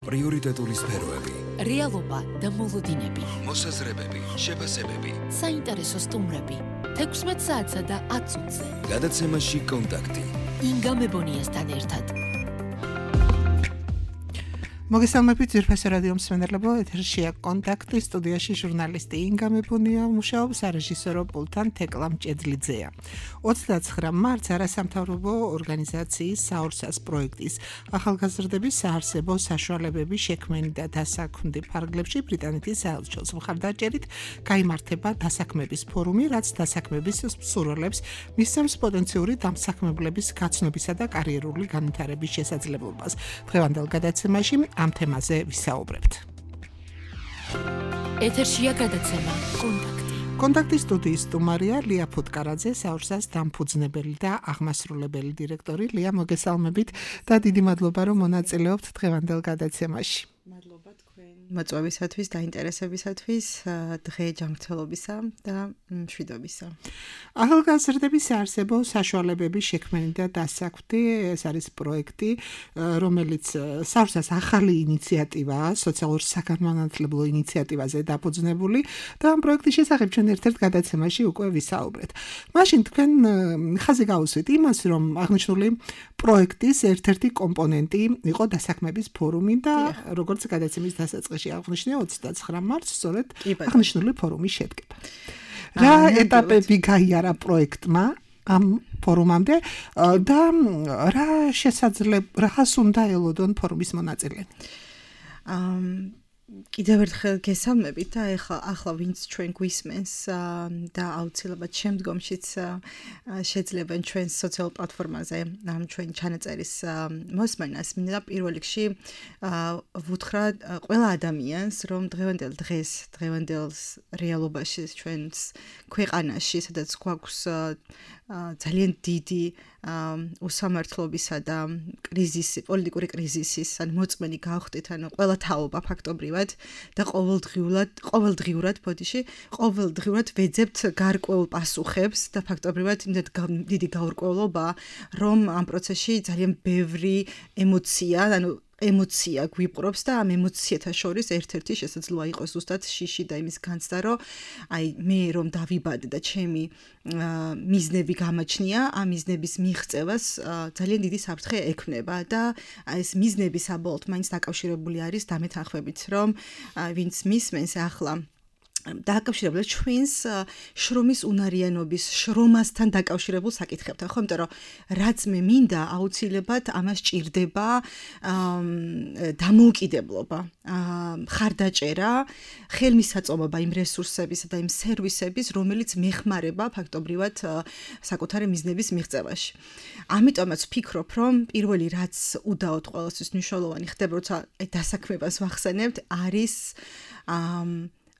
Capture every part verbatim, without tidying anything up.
პრიორიტეტული სფეროები, რეალობა და მოლოდინები, მოსაზრებები, შეფასებები, საინტერესო სტუმრები, თექვსმეტ საათსა და ათ წუთზე. გადაცემაში კონტაქტი. ინგა მებონიასთან ერთად. მოგესალმებით ძვირფასო რადიო მსმენელებო, ეთერშია კონტაქტი, სტუდიაში ჟურნალისტი ინგა მებონია, მუშაობს სარეჟისორო პულტთან თეკლა მჭედლიძეა. ოცდაცხრა მარტს არასამთავრობო ორგანიზაციის საორსას პროექტის ახალგაზრდების საარსებო საშუალებები შექმენი და დასაქმდი ფარგლებში ბრიტანეთის საელჩოს მხარდაჭერით გაიმართება დასაქმების ფორუმი, რაც დასაქმების მსურველებს მისცემს პოტენციური დამსაქმებლების გაცნობისა და კარიერული განვითარების შესაძლებლობას. დღევანდელ გადაცემაში ამ თემაზე ვისაუბრებთ. ეთერშია გადაცემა კონტაქტი. კონტაქტის სტუდიის სტუმარია ლია ფუტკარაძე, საორსას დამფუძნებელი და აღმასრულებელი დირექტორი. ლია, მოგესალმებით და დიდი მადლობა, რომ მონაწილეობთ დღევანდელ გადაცემაში. მადლობა თქვენ მოწვევისათვის, დაინტერესებისათვის, დღე ჯანმრთელობისა და მშვიდობისა. ახალგაზრდების საარსებო საშუალებების შექმენი და დასაქმდი, ეს არის პროექტი, რომელიც საორსას ახალი ინიციატივაა, სოციალურ საგანმანათლებლო ინიციატივაზე დაფუძნებული და ამ პროექტის შესახებ ჩვენ ერთ-ერთ გადაცემაში უკვე ვისაუბრეთ. მაშინ თქვენ ხაზი გაუსვით იმას, რომ აღნიშნული პროექტის ერთ-ერთი კომპონენტი იყო დასაქმების ფორუმი და როგორც გადაცემის დასაწყისში აღნიშნე ოცდაცხრა მარტს სწორედ აღნიშნული ფორუმი შედგება. რა ეტაპები გაიარა პროექტმა ამ ფორუმამდე და რა შესაძლებლობა რას უნდა ელოდონ ფორუმის მონაწილეები? კიდევ ერთხელ გესალმებით და ეხლა ახლა ვინც ჩვენ გვისმენს და აუცილებლად შემდგომშიც შეძლებენ ჩვენს სოციალურ პლატფორმაზე ამ ჩვენ ჩანაწერის მოსმენას. მინდა პირველ რიგში ვუთხრა ყველა ადამიანს, რომ დღევანდელ დღეს, დღევანდელ რეალობაში ჩვენს ქვეყანაში, სადაც გვაქვს ძალიან დიდი უსამართლობისა და კრიზისი, პოლიტიკური კრიზისის ან მოწმენი გავხდით, ანუ ყველა თაობა ფაქტობრივად და ყოველდღიურად, ყოველდღიურად ბოდიში, ყოველდღიურად ვეძებთ გარკვეულ პასუხებს და ფაქტობრივად იმდეთ დიდი გაურკვევლობა, რომ ამ პროცესში ძალიან ბევრი ემოცია, ანუ ემოცია გვიპყრობს და ამ ემოციათა შორის ერთ-ერთი შესაძლოა იყოს ზუსტად შიში და იმის განცდა, რომ აი მე რომ დავიბადე და ჩემი მიზნები გამაჩნია, ამ მიზნების მიღწევას ძალიან დიდი საფრთხე ექმნება და ეს მიზნები საბოლოოდ მაინც დაკავშირებული არის დამეთანხმებით, რომ ვინც მისმენს ახლა დააკავშირებულ ჩვენს შრომის უნარიანობის, შრომასთან დაკავშირებულ საკითხებთან, ხო, იმიტომ რომ რაც მე მინდა, აუცილებლად ამას ჭირდება დამოუკიდებლობა, მხარდაჭერა, ხელმისაწვდომობა იმ რესურსებისა და იმ სერვისების, რომელიც მეხმარება ფაქტობრივად საკუთარი მიზნების მიღწევაში. ამიტომაც ვფიქრობ, რომ პირველი რაც უდაოდ ყოველთვის მნიშვნელოვანი ხდება, როცა დასაქმებას ვახსენებთ, არის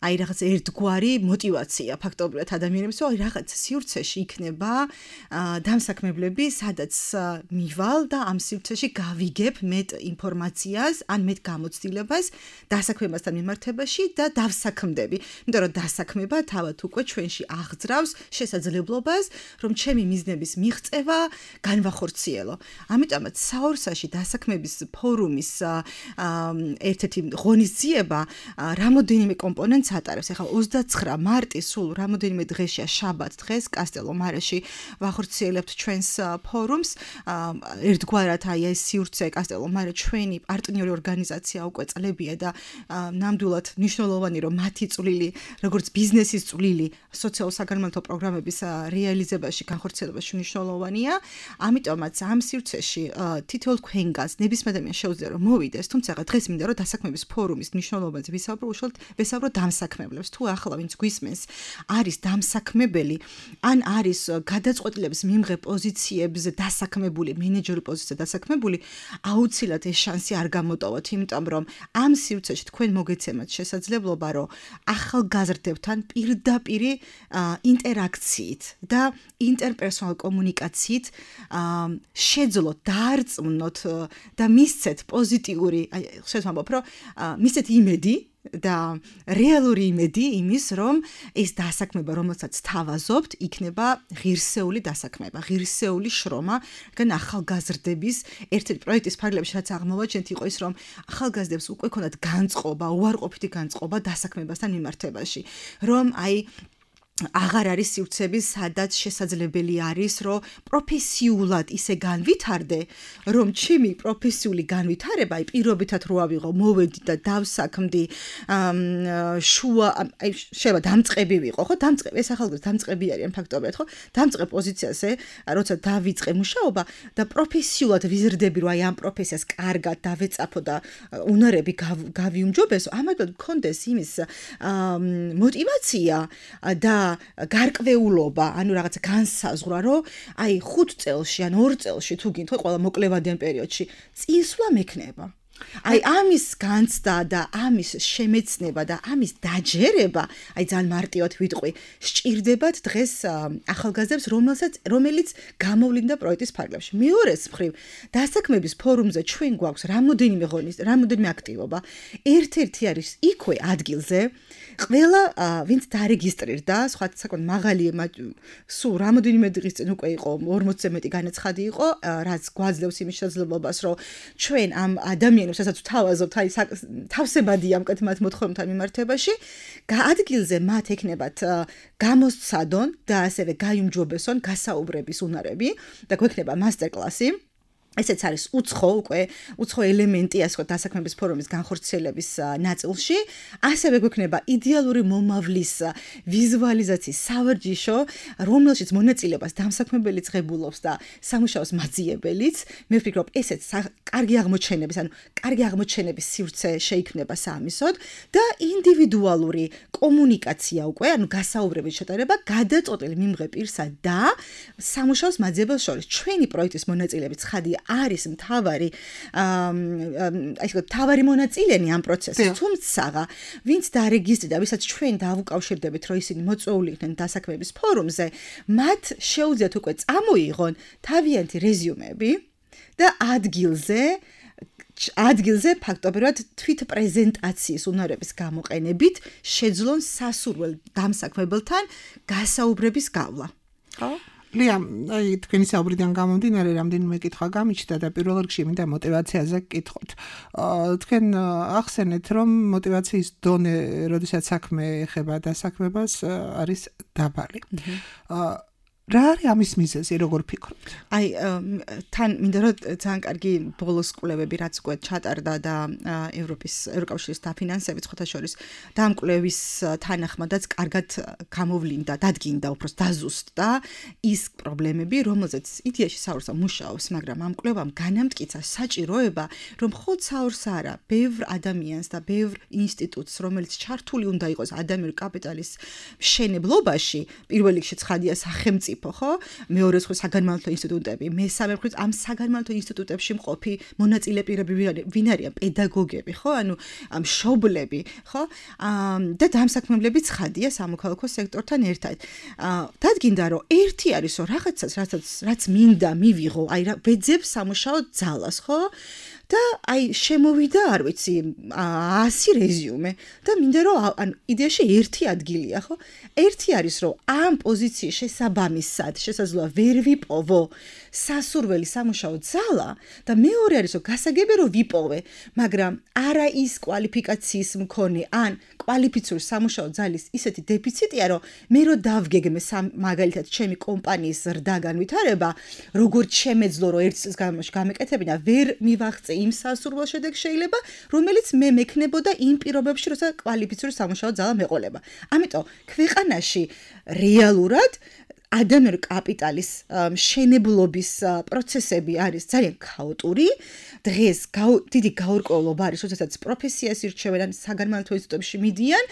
აი რაღაც ერთგვარი мотиваცია ფაქტობრივად ადამიანებს, რომ რაღაც სივრცეში იქნება დამსაქმებლები, სადაც მივალ და ამ სივრცეში გავიგებ მეტ ინფორმაციას, ან მეტ გამოცდილებას დასაქმებასთან მიმართებაში და დავსაქმდები. იმიტომ რომ დასაქმება თავად უკვე ჩვენში აღძრავს შესაძლებლობას, რომ ჩემი მიზნების მიღწევა განვახორციელო. ამიტომაც საორსაში დასაქმების ფორუმის ერთ-ერთი ღონისძიება რამოდენიმე კომპონენტს ატარებს. ახლა ოცდაცხრა მარტი სულ რამოდენიმე დღეშია, შაბათ დღეს კასტელო მარაში ვახორციელებთ ჩვენს ფორუმს. ერთგვარად აი ეს სივრცე კასტელო მარე ჩვენი პარტნიორი ორგანიზაცია უკვე წლებია და ნამდვილად მნიშვნელოვანი, რომ მათი წვლილი, როგორც ბიზნესის წვლილი სოციალურ საგანმანათლებლო პროგრამების რეალიზებაში, განხორციელებაში მნიშვნელოვანია. ამიტომაც ამ სივრცეში თითოეულ ქვენგანს ნებისმიერ ადამიანს შეუძლია რომ მოვიდეს, თუმცა დღეს მინდა რომ დასაქმების ფორუმის მნიშვნელობაზე ვისაუბრო, უშუალოდ ვესაუბრო დამსაქმებლებს. თუ ახლა ვინც გვისმენს არის დამსაქმებელი, ან არის გადაწყვეტილების მიმღებ პოზიციებზე დასაქმებული, მენეჯერი პოზიციაზე დასაქმებული, აუცილებლად ეს შანსი არ გამოტოვოთ, იმიტომ რომ ამ სივრცეში თქვენ მოგეცემათ შესაძლებლობა, რომ ახალგაზრდებთან პირდაპირ ინტერაქციით და ინტერპერსონალ კომუნიკაციით შეძლოთ, დაარწმუნოთ და მისცეთ პოზიტიური, აი, ხშირად ვამბობ, რომ მისცეთ იმედი და რეალური იმედი იმის, რომ ეს დასაქმება, რომელსაც თავაზობთ, იქნება ღირსეული დასაქმება, ღირსეული შრომა, რადგან ახალგაზრდების ერთ-ერთი პროექტის ფარგლებში რაც აღმოვაჩენთ იყო ის, რომ ახალგაზრდებს უკვე ქონდათ განწყობა, უარყოფითი განწყობა დასაქმებასთან მიმართებაში, რომ აი აღარ არის სივრცები, სადაც შესაძლებელი არის, რომ პროფესიულად ისე განვითარდე, რომ ჩემი პროფესიული განვითარება, აი პირობითად რო ავიღო, მოვედი და დავსაქმდი, შუა, აი შეიძლება დამწყები ვიყო, ხო? დამწყები, ეს ახალგაზრდა დამწყები არიან ფაქტობრივად, ხო? დამწყებ პოზიციაზე, როცა დავიწყე მუშაობა და პროფესიულად ვიზრდები, რომ აი ამ პროფესიას კარგად დავეწაფო და უნარები გავიუმჯობესო, ამათგან მქონდეს იმის მოტივაცია და გარკვეულობა, ანუ რაღაცა განსაზღვრა, რომ აი ხუთ წელში ან ორ წელში თუ გინდ, ხო, ყველა მოკლევადიან პერიოდში წინსვლა მექნება. აი ამის განცდა და ამის შემეცნება და ამის დაჯერება, აი ძალიან მარტივად ვიტყვი, სჭირდებათ დღეს ახალგაზრდებს, რომელსაც რომელიც გამოვლინდა პროექტის ფარგლებში. მეორეს მხრივ, დასაქმების ფორუმზე ჩვენ გვაქვს რამოდენიმე ღონისძიება, რამოდენიმე აქტივობა. ერთ-ერთი არის იქვე ადგილზე ყველა ვინც დარეგისტრირდა, სხვა საკმაოდ მაღალი სულ რამოდენიმე დღის წინ უკვე იყო ორმოცზე მეტი განაცხადი იყო, რაც გვაძლევს იმის შესაძლებლობას, რომ ჩვენ ამ ადამიანებს, რასაც ვთავაზობთ, აი თავსებადია მკეთ მათ მოთხოვნებთან მიმართებაში, ადგილზე მათ ექნებათ გამოსცადონ და ასევე გაიუმჯობესონ გასაუბრების უნარები და გვექნება მასტერკლასი. ესეც არის უცხო უკვე უცხო ელემენტი ასე ვთქვათ დასაქმების ფორუმის განხორციელების ნაწილში, ასევე გვექნება იდეალური მომავლის ვიზუალიზაციის სავარჯიშო, რომელშიც მონაწილეობას დამსაქმებელი ღებულობს და სამუშაოს მაძიებელიც. მე ვფიქრობ, ესეც კარგი აღმოჩენების, ანუ კარგი აღმოჩენების სივრცე შეიქმნება საამისოდ და ინდივიდუალური კომუნიკაცია უკვე, ანუ გასაუბრების შეტარება გადაწყვეტილი მიმღე პირსა და სამუშაოს მაძიებელს შორის. ჩვენი პროექტის მონაწილეები ცხადია არის მთავარი აი ესე მთავარი მონაწილენი ამ პროცესში, თუმცა ვინც დარეგისტრირდა, ვისაც ჩვენ დავუკავშირდებით, რომ ისინი მოწვეული იქნენ დასაქმების ფორუმზე, მათ შეუძლიათ უკვე წამოიღონ თავიანთი რეზიუმები და ადგილზე ადგილზე ფაქტობრივად თვით პრეზენტაციის უნარების გამოყენებით შეძლონ სასურველ დამსაქმებელთან გასაუბრების გავლა. ხო? ლია, აი თქვენი საუბრიდან გამომდინარე, რამდენიმე კითხვა გამიჩნდა და პირველ რიგში მინდა მოტივაციაზე გკითხოთ. თქვენ ახსენეთ, რომ მოტივაციის დონე, როდესაც საქმე ეხება დასაქმებას, არის დაბალი. რა არის ამის მიზეზი, როგორ ფიქრობთ? აი თან მინდა რომ ძალიან კარგი ბოლოს კვლევები რაც უკვე ჩატარდა და ევროპის ევროკავშირის დაფინანსებით ხოთა შორის და ამ კვლევის თანახმადაც კარგად გამოვლინდა, დადგინდა უბრალოდ დაზუსტდა ის პრობლემები, რომელზეც იდეაში საურსა მუშაობს, მაგრამ ამ კვლევამ განამტკიცა საჭიროება, რომ მხოლოდ საურს არა, ბევრ ადამიანს და ბევრ ინსტიტუტს, რომელიც ჩართული უნდა იყოს ადამიანური კაპიტალის მშენებლობაში, პირველ რიგში ცხადია სახელმწიფო ხო? მეორე მხრივ საგანმანათლებლო ინსტიტუტები, მესამე მხრივ ამ საგანმანათლებლო ინსტიტუტებში მყოფი მონაწილე პირები ვინ არიან? პედაგოგები, ხო? ანუ მშობლები, ხო? და დამსაქმებლები ცხადია სამოქალაქო სექტორთან ერთად. დადგინდა, რომ ერთი არის, რომ რაღაცას, რაც რაც მინდა მივიღო, აი რა ვეძებ სამუშაო ძალას, ხო? და აი შემოვიდა, არ ვიცი, ასი რეზიუმე და მინდა რომ ან იდეაში ერთი ადგილია, ხო? ერთი არის, რომ ამ პოზიციის შესაბამისად შესაძლოა ვერ ვიპოვო სასურველი სამუშაო ძალა და მეორე არის, რომ გასაგებია რომ ვიპოვე, მაგრამ არა ის კვალიფიკაციის მქონე ან კვალიფიციური სამუშაო ძალის ისეთი დეფიციტია, რომ მე რო დავგეგმე მაგალითად ჩემი კომპანიის ზრდა განვითარება, როგორც შემეძლო რომ ერთ წელს განმავლობაში გამეკეთებინა, ვერ მივაღწე იმ სასურველ შედეგს შეიძლება, რომელიც მე მექნებოდა იმ პირობებში, როცა კვალიფიციური სამუშაო ძალა მეყოლება. ამიტომ ქვეყანაში რეალურად ადამიანური კაპიტალის მშენებლობის პროცესები არის ძალიან ქაოტური. დღეს დიდი გაურკვევლობა არის, როდესაც პროფესიას ირჩევენ ან საგანმანათლებლო ინსტიტუტებში მიდიან,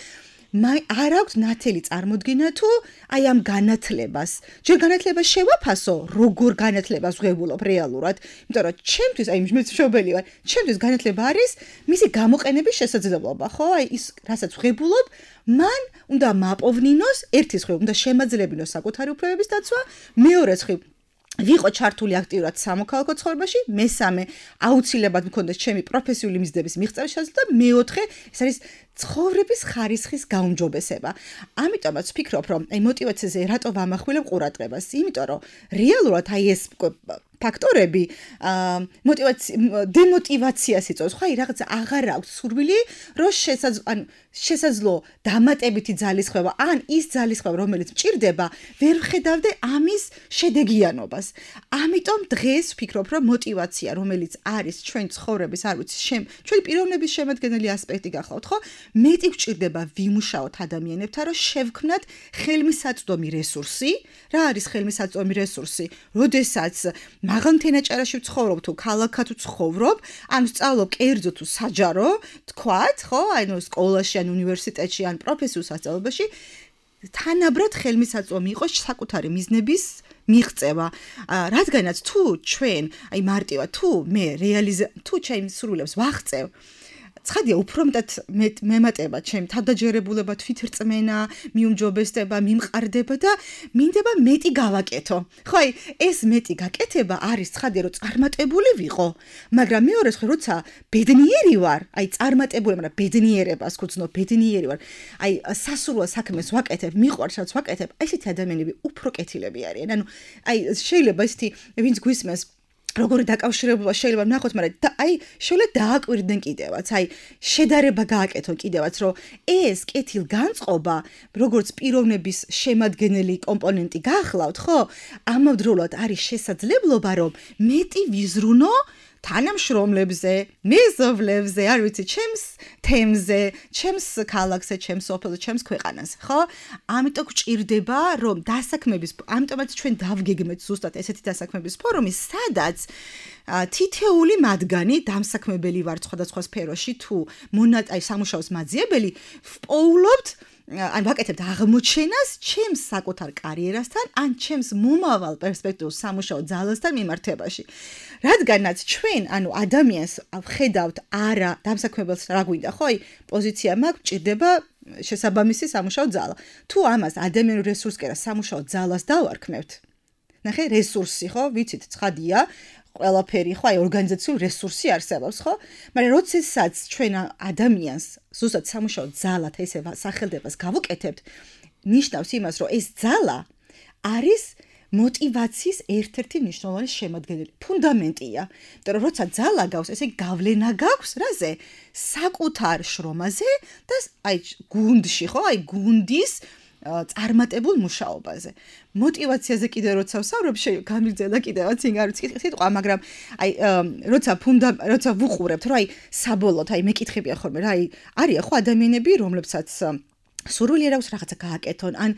არ აქვს ნათელი წარმოდგენა თუ აი ამ განათლებას. ჯერ განათლებას შევაფასო, როგორ განათლებას ვღებულობ რეალურად, იმიტომ რომ ჩემთვის, აი მე მშობელი ვარ, ჩემთვის განათლება არის მისი გამოყენების შესაძლებლობა, ხო? აი ის, რასაც ვღებულობ, მან უნდა მაპოვნინოს, ერთის მხრივ უნდა შემაძლებინოს საკუთარი უფლებების დაცვა, მეორეს მხრივ ვიყო ჩართული აქტიურად სამოქალაქო ცხოვრებაში, მესამე აუცილებლად მქონდეს ჩემი პროფესიული მიზნების მიღწევის შესაძლებლობა და მეოთხე ეს არის ცხოვრების ხარისხის გაუმჯობესება. ამიტომაც ვფიქრობ, რომ აი мотиваციაზე რატო ვამახვილებ ყურადღებას? იმიტომ რომ რეალურად აი ეს ფაქტორები мотиваცია დემოტივაციას იწვევს. ხო, აი რაღაც აღარ აქვს სურვილი, რომ შესაძლო შესაძლო დამატებითი ძალისხმევა, ან ის ძალისხმევა, რომელიც მჭირდება, ვერ ვხედავდე ამის შედეგიანობას. ამიტომ დღეს ვფიქრობ, რომ мотиваცია, რომელიც არის ჩვენ ცხოვრების, არ ვიცი, შენ ჩვენი პიროვნების შემადგენელი ასპექტი გახლავთ, ხო? მეტი გვჭირდება ვიმუშაოთ ადამიანებთან, რომ შევქმნათ ხელმისაწვდომი რესურსი. რა არის ხელმისაწვდომი რესურსი? როდესაც მაღალ თენაჭარაში ვცხოვრობ თუ ქალაქად ვცხოვრობ, ან ვსწავლობ კერძო თუ საჯარო, თქვათ, ხო, ანუ სკოლაში, ან უნივერსიტეტში, ან პროფესიულ სასწავლებელში, თანაბრად ხელმისაწვდომი იყოს საკუთარი მიზნების მიღწევა. რადგანაც თუ ჩვენ, აი მარტივად, თუ მე რეალიზა თუ ჩემს სურვილებს ვაღწევ, ცხადია უფრო მეტად მემატება ჩემ თავდაჯერებულება, თვითრწმენა, მიუმჯობესება, მიმყარდება და მინდება მეტი გავაკეთო. ხო, აი ეს მეტი გაკეთება არის ცხადია, რომ წარმატებული ვიყო, მაგრამ მეორე ხე როცა ბედნიერი ვარ, აი წარმატებული, მაგრამ ბედნიერებას გძნობ, ბედნიერი ვარ. აი სასურველ საქმეს ვაკეთებ, მიყვარს რაც ვაკეთებ, აი ესეთი ადამიანები უფრო კეთილები არიან. ანუ აი შეიძლება ესეთი ვინც გვისმენს როგორი დაკავშირებულება შეიძლება ვნახოთ, მაგრამ აი შეიძლება დააკვირდნენ კიდევაც, აი შედარება გააკეთონ კიდევაც, რომ ეს კეთილგანწყობა, როგორც პიროვნების შემადგენელი კომპონენტი გახლავთ, ხო? ამავდროულად არის შესაძლებლობა, რომ მეტი ვიზრუნო თანამშრომლებზე, მეზობლებზე, არ ვიცი, ჩემს თემზე, ჩემს ქალაქზე, ჩემს ოფელზე, ჩემს ქვეყანაზე, ხო? ამიტომ გვჭირდება, რომ დასაქმების, ამიტომაც ჩვენ დავგეგმეთ ზუსტად ესეთი დასაქმების ფორუმი, სადაც თითეული მათგანი დამსაქმებელი ვარ სხვადასხვა სფეროში თუ მონატაი სამუშაოს მაძიებელი, ვპოულობთ ან ვაკეთებთ აღმოჩენას ჩემს საკუთარ კარიერასთან, ან ჩემს მომავალ პერსპექტიულ სამუშაო ძალასთან მიმართებაში. რადგანაც ჩვენ, ანუ ადამიანს ვხედავთ არა დამსაქმებელს რა გვინდა, ხო? აი პოზიცია მაქვს, ჭირდება შესაბამისი სამუშაო ძალა. თუ ამას ადამიანურ რესურსს კერა სამუშაო ძალას დავარქმევთ. ნახე, რესურსი, ხო? ვიცით, ცხადია, ყველაფერი, ხო, აი ორგანიზაციული რესურსი არსებობს, ხო? მაგრამ როდესაც ჩვენ ადამიანს ზუსტად სამუშაო ძალად ესე სახელდებას გავუკეთებთ, ნიშნავს იმას, რომ ეს ძალა არის мотиваციის ერთ-ერთი მნიშვნელოვანი შემადგენელი, ფუნდამენტია. იმიტომ რომ როცა ძალა გაქვს, ესე გავლენა გაქვს რაზე? საკუთარ შრომაზე და აი გუნდში, ხო? აი გუნდის წარმატებულ მუშაობაზე. мотиваციაზე კიდე როცა ვსაუბრობ, გამიგრძელა კიდევაც ინ არ ვიცი სიტყვა, მაგრამ აი როცა ფუნდა როცა ვუყურებთ, რომ აი საბოლოოდ აი მეკითხებია ხოლმე რა, აი არიან ხო ადამიანები, რომლებსაც სურვილი აქვს რაღაცა გააკეთონ, ან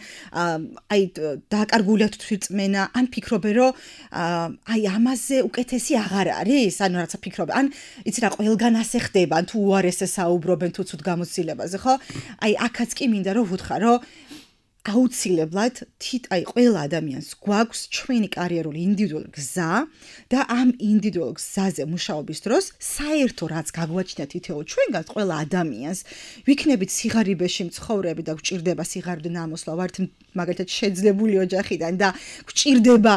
აი დააკარგულია თვითრწმენა, ან ფიქრობენ, რომ აი ამაზე უკეთესი აღარ არის, ანუ რაღაცა ფიქრობენ, ან იცი რა, ყველგან ასე ხდება, ან თუ უარესზე საუბრობენ თუ ცუდ გამოცდილებაზე, ხო? აი აქაც კი მინდა რომ ვუთხარ, რომ აუცილებლად თით აი ყველა ადამიანს გვაქვს ჩვენი კარიერული ინდივიდუალური გზა და ამ ინდივიდუალურ გზაზე მუშაობის დროს საერთო რაც გაგვაჩნია თითოეულ ჩვენგანს ყველა ადამიანს ვიქნებით სიღარიბეში მცხოვრები და გვჭირდება სიღარიბე ნამოსვლა ვართ მაგალითად შეძლებული ოჯახიდან და გვჭირდება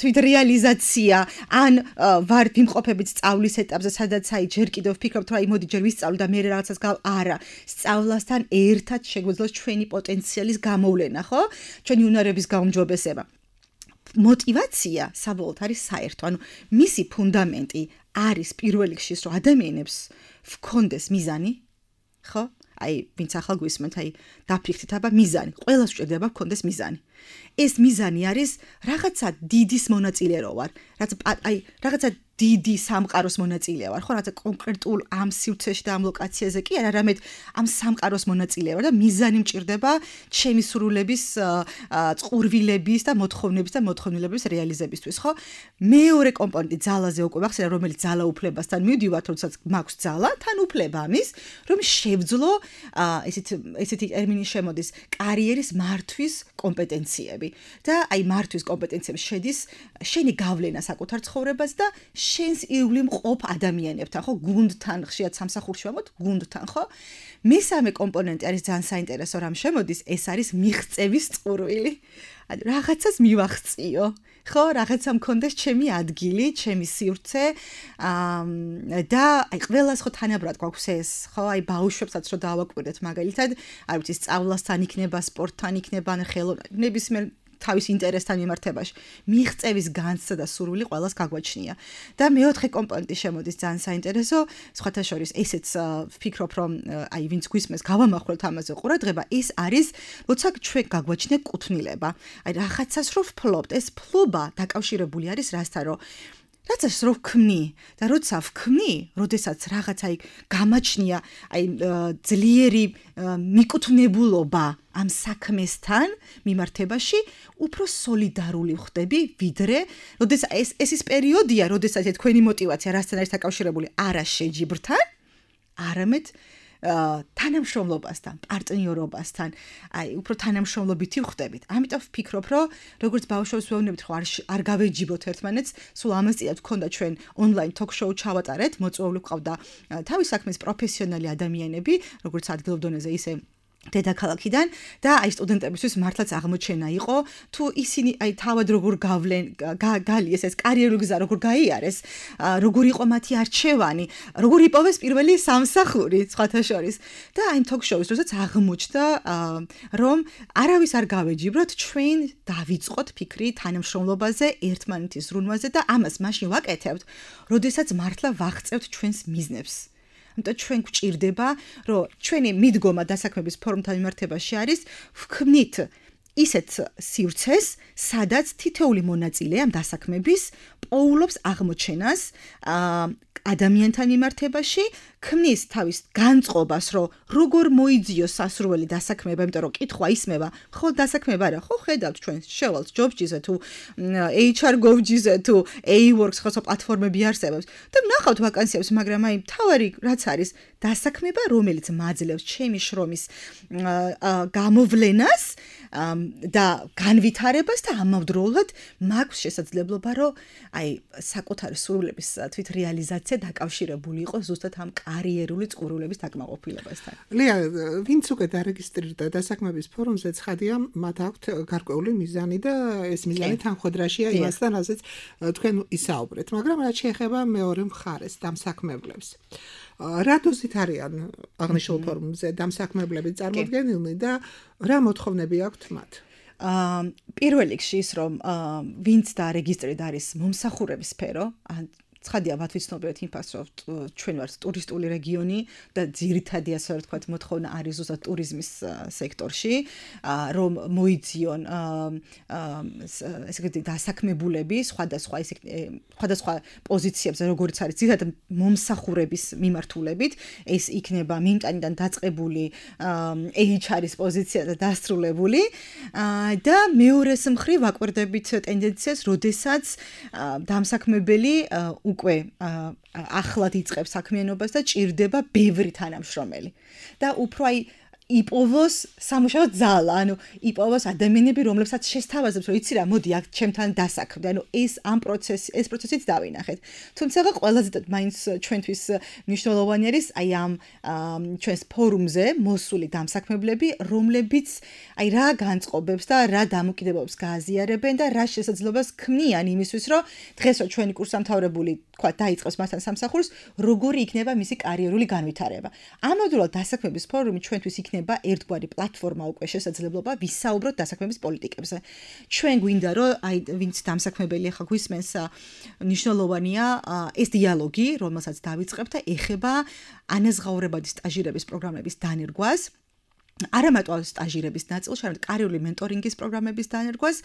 თვითრეალიზაცია ან ვართ ვიმყოფებით სწავლის ეტაპზე სადაც აი ჯერ კიდევ ვფიქრობთ რომ აი მოდი ჯერ ვისწავლო და მე რაღაცას გავ არა სწავლასთან ერთად შეგვეძლოს ჩვენი პოტენციალის გამოვლენა ხო ჩვენი უნარების გაუმჯობესება мотиваცია საბოლოოდ არის საერთო ანუ მისი ფუნდამენტი არის პირველ რიგში რომ ადამიანებს ვქონდეს მიზანი ხო აი ვინც ახალ გვისმენთ აი დაფიქრდით აბა მიზანი ყველას ვჭირდება ვქონდეს მიზანი ეს მიზანი არის რაღაცა დიდის მონაწილე რო ვარ რაც აი რაღაცა დიდი სამყაროს მონაწილე ვარ ხო რაღაცა კონკრეტულ ამ სივრცეში და ამ ლოკაციაზე კი არა არამედ ამ სამყაროს მონაწილე ვარ და მიზანი მჭირდება ჩემი სურვილების წყურვილების და მოთხოვნების და მოთხოვნილების რეალიზებისთვის ხო მეორე კომპონენტი ძალაზე უკვე ვახსენე რომელიც ძალა უფლებასთან მივდივართ როდესაც მაქვს ძალა თან უფლება ამის რომ შევძლო ესეთ ესეთი ტერმინი შემოდის კარიერის მართვის კომპეტენციები და აი მართვის კომპეტენციები შედის შენი გავლენა საკუთარ ცხოვრებას და შენს ირგვლივ მყოფ ადამიანებთან ხო გუნდთან ხშირად სამსახურში ვამბობთ გუნდთან ხო მესამე კომპონენტი არის ძალიან საინტერესო რამ შემოდის ეს არის მიღწევის წყურვილი რაღაცას მივახციო. ხო, რაღაცა მქონდეს ჩემი ადგილი, ჩემი სივრცე და აი ყველას ხო თანაბრად გვაქვს ეს, ხო, აი ბავშვებსაც რო დავაკვირდეთ მაგალითად, არ ვიცი, სწავლასთან იქნება, სპორტთან იქნება, ხელოვნებისმიერ თავის ინტერესთან მიმართებაში. მიღწევის განცდა და სურვილი ყველას გაგვაჩნია. და მეოთხე კომპონენტი შემოდის ძალიან საინტერესო, სხვათა შორის ესეც ვფიქრობ, რომ აი ვინც გვისმენს გავამახვილოთ ამაზე ყურადღება, ის არის, როცა ჩვენ გაგვაჩნია კუთვნილება. აი რაღაცას რო ვფლობთ, ეს ფლობა დაკავშირებული არის რასთან, რომ რაცაც რო ვქმნი და როცა ვქმნი, როდესაც რაღაც აი გამაჩნია, აი ძლიერი მიკუთვნებულობა ამ საქმესთან მიმართებაში, უფრო სოლიდარული ვხდები, ვიდრე, როდესაც ეს ეს ის პერიოდია, როდესაც თქვენი мотиваცია რასთან არის დაკავშირებული, არა შეჯიბრთან, არამედ თანამშრომლობასთან, პარტნიორობასთან, აი უფრო თანამშრომლობითი ვხდებით. ამიტომ ვფიქრობ, რომ როგორც ბავშვებს ვეუბნებით, რომ არ გავეჯიბროთ ერთმანეთს, სულ ამასწილად გქონდა ჩვენ ონლაინ ток-შოუ ჩავატარეთ, მოწვეული ყავდა თავის საქმის პროფესიონალი ადამიანები, როგორც ადგილობრივ დონეზე, ისე დედაქალაქიდან და აი სტუდენტებისთვის მართლაც აღმოჩენა იყო, თუ ისინი აი თავად როგორ გავლენ, გალიეს ეს კარიერული გზა როგორ გაიარეს, როგორ იყო მათი არჩევანი, როგორ იპოვეს პირველი სამსახური, სხვათა შორის. და აი ток-შოუს როდესაც აღმოჩნდა, რომ არავის არ გავეჯიბროთ, ჩვენ დავიწყოთ ფიქრი თანამშრომლობაზე, ერთმანეთის ზრუნვაზე და ამას მაშინ ვაკეთებთ, როდესაც მართლა ვაღწევთ ჩვენს მიზნებს. და ჩვენ გვჭირდება, რომ ჩვენი მიდგომა დასაქმების ფორუმთან მიმართებაში არის ვქმნით ისეთ სივრცეს, სადაც თითოეული მონაწილე ამ დასაქმების პოულობს აღმოჩენას ადამიანთან მიმართებაში, ქმნის თავის განწყობას, რომ როგორ მოიძიოს სასურველი დასაქმება, იმიტომ რომ კითხვა ისმევა, ხო დასაქმება არა, ხო ხედავთ ჩვენ შევალთ ჯობჯიზე თუ ეიჩ არ გოვჯიზე თუ A-Works ხო პლატფორმები არსებობს და ვნახავთ ვაკანსიებს, მაგრამ აი თავარი რაც არის დასაქმება, რომელიც მაძლევს ჩემი შრომის გამოვლენას და განვითარებას და ამავდროულად მაქვს შესაძლებლობა, რომ აი საკუთარი სურვილების თვით რეალიზაცია დაკავშირებული იყო ზუსტად ამ კარიერული წყურვილების დაკმაყოფილებასთან. ლია, ვინც უკვე დარეგისტრირდა დასაქმების ფორუმზე, ცხადია, მათ აქვთ გარკვეული მიზანი და ეს მიზანი თანხმდრაშია იმასთან, რასაც თქვენ ისაუბრეთ, მაგრამ რაც შეეხება მეორე მხარეს, დამსაქმებლებს. რა დოზით არიან აღნიშნულ ფორუმზე დამსაქმებლები წარმოდგენილნი და რა მოთხოვნები აქვთ მათ? პირველ რიგში ის, რომ ვინც დარეგისტრირდა არის მომსახურების სფერო, ცხადია მათ ვიცნობიერთ იმ ფაქტს, რომ ჩვენ ვართ ტურისტული რეგიონი და ძირითადი ასე რომ ვთქვათ მოთხოვნა არის ზუსტად ტურიზმის სექტორში, რომ მოიძიონ ესე იგი დასაქმებულები სხვადასხვა ესე სხვადასხვა პოზიციებზე, როგორც არის ძირითადად მომსახურების მიმართულებით, ეს იქნება მიმტანიდან დაწყებული ეიჩ არ-ის პოზიცია და დასრულებული და მეორეს მხრივ ვაკვირდებით ტენდენციას, როდესაც დამსაქმებელი უკვე ახლად იწყებს საქმიანობას და ჭირდება ბევრი თანამშრომელი. და უფრო აი იპოვოს სამუშაო ძალა, ანუ იპოვოს ადამიანები, რომლებსაც შესთავაზებს, რომ იცი რა, მოდი აქ ჩემთან დასაქმდე. ანუ ეს ამ პროცესი, ეს პროცესიც დავინახეთ. თუმცა ყველაზე მაინც ჩვენთვის მნიშვნელოვანი არის აი ამ ჩვენს ფორუმზე მოსული დამსაქმებლები, რომლებიც აი რა განწყობებს და რა დამოკიდებულებას გააზიარებენ და რა შესაძლებლობას ქმნიან იმისთვის, რომ დღეს რო ჩვენი კურსდამთავრებული თქვა დაიწყოს მასთან სამსახურს, როგორი იქნება მისი კარიერული განვითარება. ამავდროულად დასაქმების ფორუმი ჩვენთვის იქნება ერთგვარი პლატფორმა უკვე შესაძლებლობა ვისაუბროთ დასაქმების პოლიტიკებზე. ჩვენ გვინდა რომ აი ვინც დამსაქმებელი ახლა გვისმენს მნიშვნელოვანია ეს დიალოგი, რომელსაც დავიწყებთ და ეხება ანაზღაურებადი სტაჟირების პროგრამების დანერგვას. არა მარტო სტაჟირების ნაწილში, არამედ კარიერული მენტორინგის პროგრამების დანერგვას,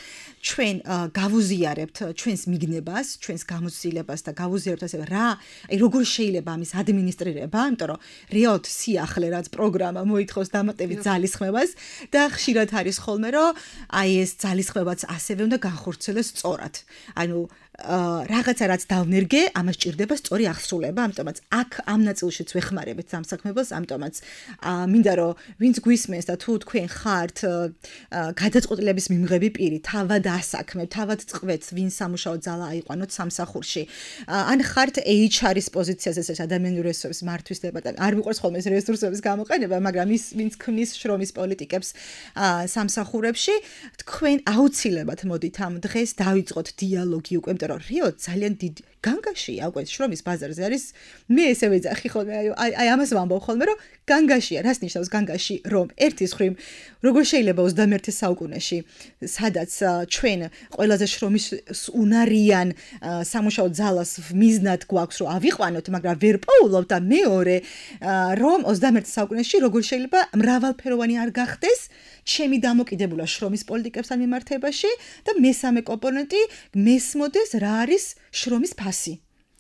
ჩვენ გავუზიარებთ ჩვენს მიგნებას, ჩვენს გამოცდილებას და გავუზიარებთ ასევე რა, აი როგორ შეიძლება ამის ადმინისტრირება, იმიტომ რომ რეალურად სიახლე რაც პროგრამა მოითხოვს დამატებით ძალისხმევას და ხშირად არის ხოლმე რომ აი ეს ძალისხმევაც ასევე უნდა განხორციელდეს სწორად. ანუ რაღაცა რაც დავნერგე, ამას ჭირდება სწორი აღსრულება, ამიტომაც აქ ამ ნაწილშიც ვეხმარებით სამსაქმებელს, ამიტომაც მინდა რომ ვინც გვისმენს და თუ თქვენ ხართ გადაწყვეტილების მიმღები პირი, თავად ასაქმებთ, თავად წყვეთ, ვინ სამუშაო ძალა აიყვანოთ სამსახურში. ან ხართ ეიჩ არ-ის პოზიციაზე, ეს ადამიანური რესურსების მართვის დეპარტამენტი. არ მიყვარს ხოლმე ეს რესურსების გამოყენება, მაგრამ ის ვინც ქმნის შრომის პოლიტიკებს სამსახურებში, თქვენ აუცილებლად მოდით ამ დღეს დავიწყოთ დიალოგი უკვე, იმიტომ რომ რეალურად ძალიან დიდი განგაშია უკვე შრომის ბაზარზე არის. მე ესე ვეძახი ხოლმე, აი აი ამას ვამბობ ხოლმე, რომ განგაშია, რას ნიშნავს განგაში, რომ ერთის მხრივ როგორ შეიძლება ოცდამეერთე საუკუნეში, სადაც ჩვენ ყველაზე შრომის უნარიან სამუშაო ძალას მიზნად გვაქვს, რომ ავიყვანოთ, მაგრამ ვერ პოულობთ და მეორე, რომ ოცდამეერთე საუკუნეში როგორ შეიძლება მრავალფეროვანი არ გახდეს ჩემი დამოკიდებულა შრომის პოლიტიკებთან მიმართებაში და მესამე კომპონენტი მესმოდეს რა არის შრომის ფასი.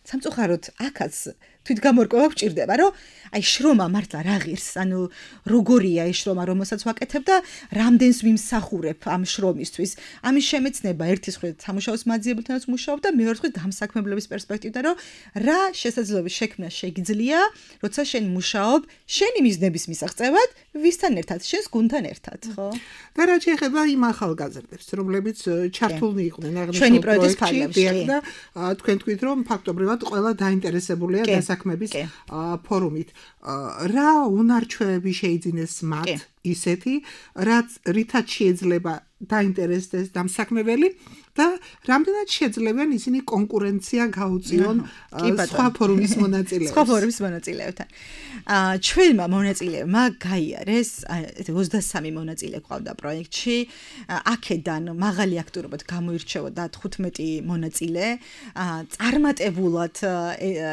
სამწუხაროდ აქაც თვითგამორკვევა გვჭირდება, რომ აი შრომა მართლა რა ღირს, ანუ როგორია ეს შრომა, რომელსაც ვაკეთებ და რამდენს ვიმსახურებ ამ შრომისთვის. ამის შემეცნება ერთის მხრივ სამუშაოს მაძიებელთანაც მუშაობ და მეორე მხრივ დამსაქმებლების პერსპექტივიდან, რომ რა შესაძლებლობის შექმნა შეგიძლია, როცა შენ მუშაობ შენი მიზნების მისაღწევად, ვისთან ერთად, შენს გუნდთან ერთად, ხო? და რა შეეხება იმ ახალგაზრდებს, რომლებიც ჩართულნი იყვნენ ჩვენი პროექტის ფარგლებში და თქვენ თქვით, რომ ფაქტობრივად ყველა დაინტერესებულია დასაქმების ფორუმით. რა უნარჩვევები შეიძინეს მათ ისეთი, რაც რითაც შეიძლება დაინტერესდეს დამსაქმებელი და რამდენად შეძლებენ ისინი კონკურენცია გაუწიონ სხვა ფორუმის მონაწილეებს. სხვა ფორუმის მონაწილეებთან. ჩვენმა მონაწილეებმა გაიარეს ოცდასამი მონაწილე ყავდა პროექტში. აქედან მაღალი აქტიურობით გამოირჩეოდა თხუთმეტი მონაწილე. წარმატებულად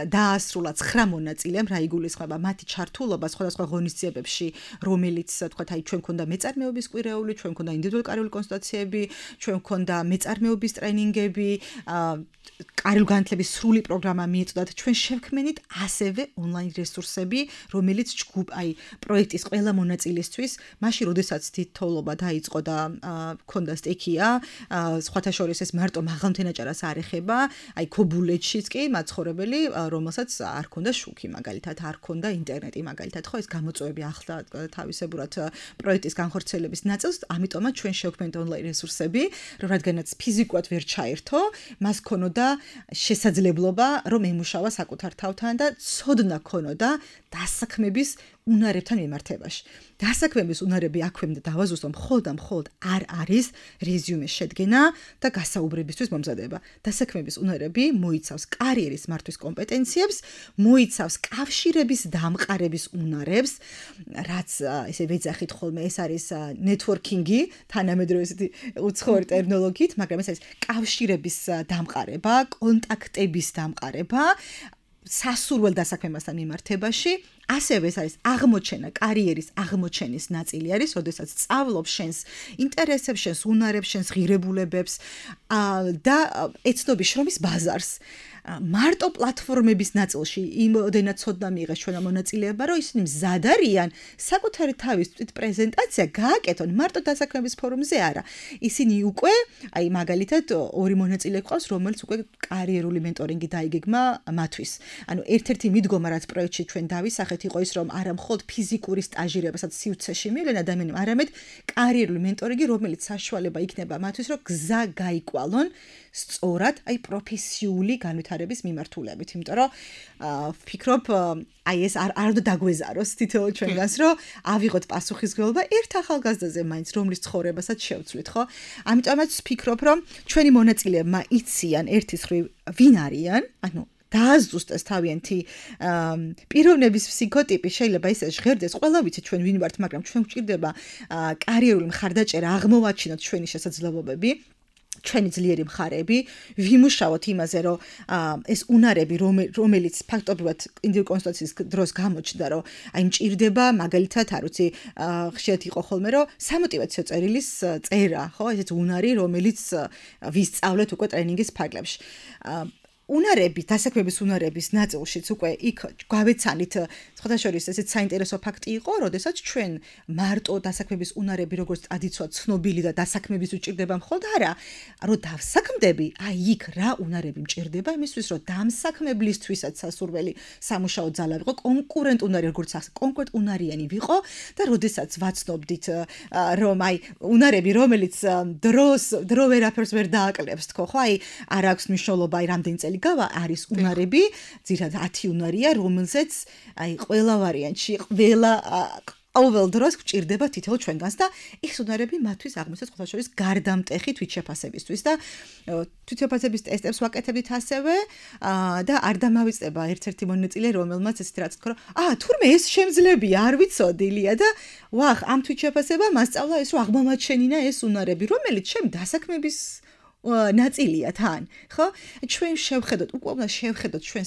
დაასრულა ცხრა მონაწილემ, რა იგულისხმება მათი ჩართულობა სხვადასხვა ღონისძიებებში, რომელიც თქვათ აი ჩვენ მქონდა მეწარმეობის კვირეული, ჩვენ მქონდა ინდივიდუალური კარიული კონსულტაციები, ჩვენ მქონდა მეწარმეობის ტრენინგები, კარული განათლების სრული პროგრამა მიეწოდათ. ჩვენ შევქმნით ასევე ონლაინ რესურსები, რომელიც ჯგუფ აი პროექტის ყველა მონაწილისთვის, მაშინ როდესაც თითოეულობა დაიწყო და მქონდა სტექია, სხვათა შორის ეს მარტო მაღალმთენაჭარას არ ეხება, აი ქობულეთშიც კი მაცხოვრებელი, რომელსაც არ ქონდა შუქი, მაგალითად, არ ქონდა ინტერნეტი, მაგალითად, ხო, ეს გამოწვევები ახლა თავისებურად პროექტის განხორციელების ნაწილს, ამიტომაც ჩვენ შევქმნით ონლაინ რესურსები, რომ რადგანაც ფიზიკურად ვერ ჩაერთო, მას ქონოდა შესაძლებლობა, რომ ემუშავა საკუთარ თავთან და ცოდნა ქონოდა დასაქმების უნარებთან მიმართებაში. დასაქმების უნარები აქვე და დავაზუსტო მხოლოდ და მხოლოდ არ არის რეზიუმეს შედგენა და გასაუბრებისთვის მომზადება. დასაქმების უნარები მოიცავს კარიერის მართვის კომპეტენციებს, მოიცავს კავშირების დამყარების უნარებს, რაც ესე ვეძახით ხოლმე, ეს არის ნეტვორკინგი, თანამედროვე ესეთი უცხოური ტერმინოლოგიით, მაგრამ ეს არის კავშირების დამყარება, კონტაქტების დამყარება სასურველ დასაქმებასთან მიმართებაში. ასევე ეს არის აღმოჩენა, კარიერის აღმოჩენის ნაწილი არის, როდესაც სწავლობ შენს ინტერესებს, შენს უნარებს, შენს ღირებულებებს და ეცნობი შრომის ბაზარს. მარტო პლატფორმების ნაწილში იმოდენად ცოდნა მიიღეს ჩვენმა მონაწილეებმა, რომ ისინი მზად არიან საკუთარი თავის თვით პრეზენტაცია გააკეთონ მარტო დასაქმების ფორუმზე არა. ისინი უკვე, აი მაგალითად, ორი მონაწილე ყავს, რომელიც უკვე კარიერული მენტორინგი დაიგეგმა მათთვის. ანუ ერთ-ერთი მიდგომა, რაც პროექტში ჩვენ დავისახეთ, იყო ის, რომ არა მხოლოდ ფიზიკური სტაჟირებასაც სივრცეში მივლენ ადამიანები, არამედ კარიერული მენტორინგი, რომელიც საშუალება იქნება მათთვის, რომ გზა გაიკვალონ სწორად, აი პროფესიული განვითარების მიმართულებით, იმიტომ რომ ვფიქრობ, აი ეს არ არ უნდა დაგვეზაროს თითოეულ ჩვენგანს, რომ ავიღოთ პასუხისმგებლობა ერთ ახალგაზრდაზე მაინც, რომლის ცხოვრებასაც შევცვლით, ხო? ამიტომაც ვფიქრობ, რომ ჩვენი მონაწილეებმა იციან ერთის მხრივ ვინ არიან, ანუ დააზუსტეს თავიანთი პიროვნების ფსიქოტიპი, შეიძლება ისე ჟღერდეს, ყველა ვიცით ჩვენ ვინ ვართ, მაგრამ ჩვენ გვჭირდება კარიერული მხარდაჭერა, აღმოვაჩინოთ ჩვენი შესაძლებლობები. ჩვენი ძლიერი მხარეები, ვიმუშაოთ იმაზე, რომ ეს უნარები, რომელიც ფაქტობრივად ინდივიდუალური კონსულტაციის დროს გამოჩნდა, რომ აი მჭირდება, მაგალითად, არ ვიცი, ხშირად იყო ხოლმე, რომ სამოტივაციო წერილის წერა, ხო, ესეც უნარი, რომელიც ვისწავლეთ უკვე ტრენინგის ფარგლებში. უნარები, დასაქმების უნარების ნაწილშიც უკვე იქ გავეცანით სხვადასხვა ესეც საინტერესო ფაქტი იყო, როდესაც ჩვენ მარტო დასაქმების უნარები როგორც ტრადიცია ცნობილი და დასაქმების უჭირდება მხოლოდ არა, რომ დავსაქმდები, აი იქ რა უნარები მჭირდება იმისთვის, რომ დამსაქმებლისთვისაც სასურველი სამუშაო ძალა ვიყო, კონკურენტ უნარი როგორც ახს, კონკრეტ უნარიანი ვიყო და როდესაც ვაცნობდით რომ აი უნარები რომელიც დროს დრო ვერაფერს ვერ დააკლებს თქო ხო აი არ აქვს მნიშვნელობა აი რამდენი წელი გავა არის უნარები ძირითადად ათი უნარია რომელზეც აი ყველა ვარიანტში ყველა ყოველ დროს გვჭირდება თითოეულ ჩვენგანს და ეს უნარები მათთვის აღმოჩნდა ყოველ შორის გარდამტეხი თვითშეფასებისთვის და თვითშეფასების ტესტებს ვაკეთებდით ასევე და არ დამავიწყება ერთ-ერთი მონაწილე რომელმაც ესეთი რაც თქვა აა თურმე ეს შემძლებია არ ვიცოდილია და ვახ ამ თვითშეფასება მასწავლა ეს რომ აღმომაჩენინა ეს უნარები რომელიც ჩემ დასაქმების ნაწილია თან, ხო? ჩვენ შევხედოთ, უკვე უნდა შევხედოთ ჩვენ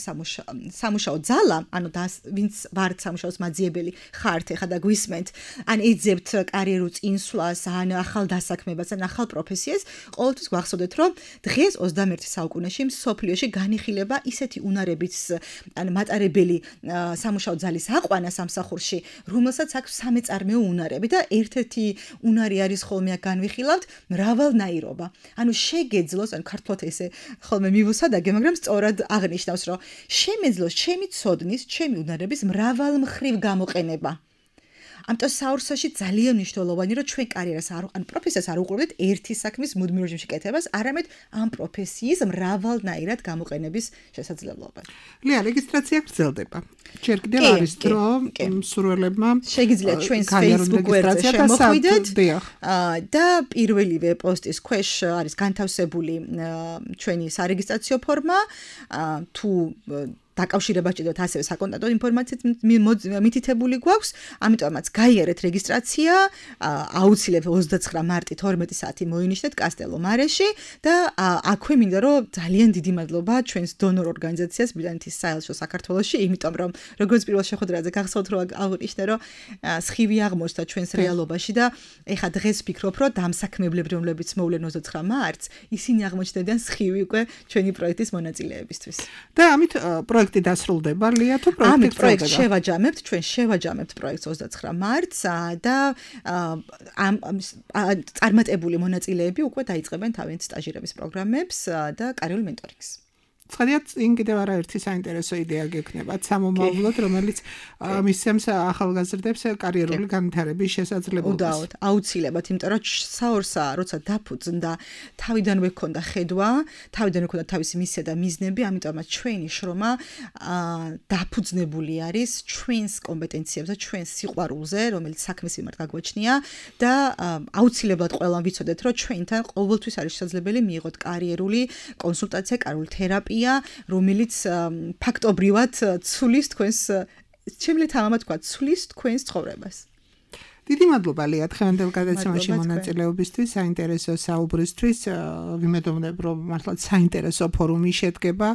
სამუშაო ძალა, ანუ ვინც ვართ სამუშაოს მაძიებელი ხართ ეხა და გვისმენთ, ან ეძებთ კარიერულ წინსვლას, ან ახალ დასაქმებას, ან ახალ პროფესიას, ყოველთვის გვახსოვდეთ, რომ დღეს ოცდამეერთე საუკუნეში მსოფლიოში განიხილება ისეთი უნარების, ან მატარებელი სამუშაო ძალის აყვანა სამსახურში, რომელსაც აქვს სამეწარმეო უნარები და ერთ-ერთი უნარი არის ხოლმე განვიხილავთ მრავალნაირობა. ანუ გეძლოს ან ქართულად ესე ხოლმე მივუსადაგე, მაგრამ სწორად აღნიშნავს, რომ შემეძლოს ჩემი ცოდნის, ჩემი უნარების მრავალმხრივ გამოყენება. ამიტომ საურსაში ძალიან მნიშვნელოვანია, რომ ჩვენ კარიერას არ ან პროფესიას არ უყურებთ ერთი საქმის მუდმივ რეჟიმში კეთებას, არამედ ამ პროფესიის მრავალნაირად გამოყენების შესაძლებლობას. ლია, რეგისტრაცია გრძელდება. ჯერ კიდევ არის დრო მსურველებმა შეგიძლიათ ჩვენს Facebook გვერდზე შემოხვიდეთ და პირველივე პოსტის ქვეშ არის განთავსებული ჩვენი სარეგისტრაციო ფორმა თუ დაკავშირება ჭირდებათ ასევე საკონტაქტო ინფორმაციით მითითებული გვაქვს, ამიტომაც გაიარეთ რეგისტრაცია, აუცილებლად ოცდაცხრა მარტი თორმეტი საათი მოინიშნეთ კასტელო მარეში და აქვე მინდა რომ ძალიან დიდი მადლობა ჩვენს დონორ ორგანიზაციას ბრიტანეთის საელჩო საქართველოში, იმიტომ რომ როგორც პირველ შეხვედრაზე გახსოვთ რომ აღნიშნე რომ სხივი აღმოჩნდა ჩვენს რეალობაში და ეხა დღეს ვფიქრობ რომ დამსაქმებლები რომლებიც მოვლენ ოცდაცხრა მარტს, ისინი აღმოჩნდნენ სხივი უკვე ჩვენი პროექტის მონაწილეებისთვის. და ამით პროექტი დასრულდება, ლია, თუ პროექტი ამით პროექტს შევაჯამებთ, ჩვენ შევაჯამებთ პროექტს ოცდაცხრა მარტს და ამ წარმატებული მონაწილეები უკვე დაიწყებენ თავიანთ სტაჟირების პროგრამებს და კარიერულ მენტორინგს. ცხადია, წინ კიდევ არაერთი საინტერესო იდეა გექნებათ სამომავლოდ, რომელიც მისცემს ახალგაზრდებს კარიერული განვითარების შესაძლებლობას. უდაოდ, აუცილებლად, იმიტომ რომ საორსა, როცა დაფუძნდა, თავიდანვე ჰქონდა ხედვა, თავიდანვე ჰქონდა თავისი მისია და მიზნები, ამიტომაც ჩვენი შრომა დაფუძნებული არის ჩვენს კომპეტენციებზე, ჩვენს სიყვარულზე, რომელიც საქმის მიმართ გაგვაჩნია და აუცილებლად ყველამ ვიცოდეთ, რომ ჩვენთან ყოველთვის არის შესაძლებელი მიიღოთ კარიერული კონსულტაცია, კარიერული თერაპია რომელიც ფაქტობრივად ცulis თქვენს შემიძლია თამამად თქვა ცulis თქვენს ცხოვრებას. დიდი მადლობა ლია დღევანდელ გადაცემაში მონაწილეობისთვის, საინტერესო საუბრისთვის. ვიმედოვნებ, რომ მართლაც საინტერესო ფორუმი შედგება,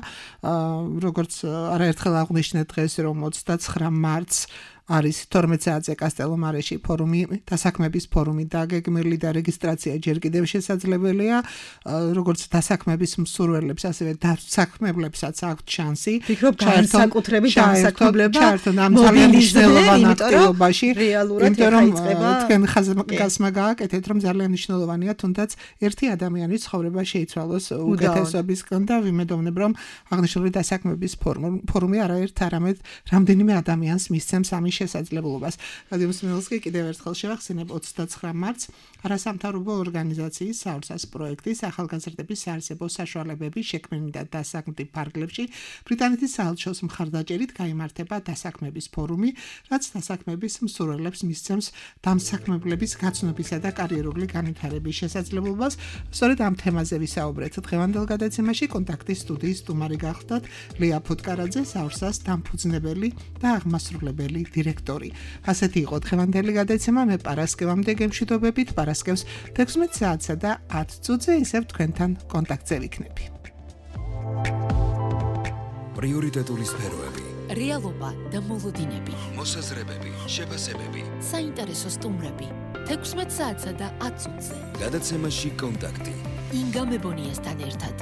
როგორც არაერთხელ აღვნიშნეთ დღეს, რომ ოცდაცხრა მარტს არის თორმეტ საათზე კასტელო მარეში ფორუმი, დასაქმების ფორუმი დაგეგმილი და რეგისტრაცია ჯერ კიდევ შესაძლებელია, როგორც დასაქმების მსურველებს, ასევე დასაქმებლებსაც აქვთ შანსი. ვფიქრობ, განსაკუთრებით დასაქმებლება ძალიან მნიშვნელოვანი აქტივობაში, რეალურად ეხება თქვენ ხაზგასმა გააკეთეთ, რომ ძალიან მნიშვნელოვანია, თუნდაც ერთი ადამიანის ცხოვრება შეიცვალოს უკეთესობისგან და ვიმედოვნებ, რომ აღნიშნული დასაქმების ფორუმი არაერთ არამედ რამდენიმე ადამიანს მისცემს ამის შესაძლებლობას. რადიო მსმენელსკი კიდევ ერთხელ შევახსენებ ოცდაცხრა მარტს არასამთავრობო ორგანიზაციის საურსას პროექტის ახალგაზრდების საარსებო საშუალებების შექმნისა და დასაქმების ფარგლებში ბრიტანეთის საელჩოს მხარდაჭერით გაიმართება დასაქმების ფორუმი, რაც დასაქმების მსურველებს მისცემს დამსაქმებლების გაცნობისა და კარიერული განვითარების შესაძლებლობას. სწორედ ამ თემაზე ვისაუბრეთ დღევანდელ გადაცემაში. კონტაქტის სტუდიის სტუმარი გახლდათ ლია ფუტკარაძე, საურსას დამფუძნებელი და აღმასრულებელი დირექტორი. ასეთი იყო დღევანდელი გადაცემა. მე პარასკევამდე გემშვიდობებით, პარასკევს თექვსმეტ საათსა და ათ წუთზე ისევ თქვენთან კონტაქტზე ვიქნები. პრიორიტეტული სფეროები, რეალობა და მოლოდინები, მოსაზრებები, შეფასებები, საინტერესო სტუმრები, თექვსმეტ საათსა და ათ წუთზე. გადაცემაში კონტაქტი. ინგა მებონიასთან ერთად.